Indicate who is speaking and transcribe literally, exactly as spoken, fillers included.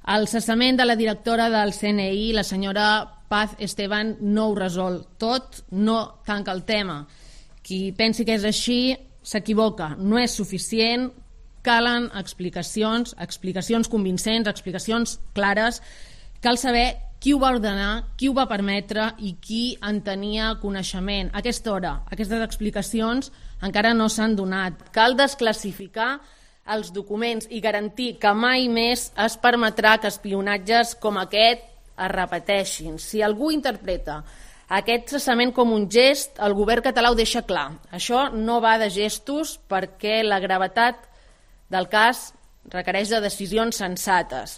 Speaker 1: El cessament de la directora del C N I, la senyora Paz Esteban, no ho resol tot, no tanca el tema. Qui pensi que és així s'equivoca, no és suficient, calen explicacions, explicacions convincents, explicacions clares, cal saber qui ho va ordenar, qui ho va permetre i qui en tenia coneixement. A aquesta hora, aquestes explicacions encara no s'han donat. Cal desclassificar els documents i garantir que mai més es permetrà que espionatges com aquest es repeteixin. Si algú interpreta aquest cessament com un gest, el govern català ho deixa clar. Això no va de gestos perquè la gravetat del cas requereix de decisions sensates.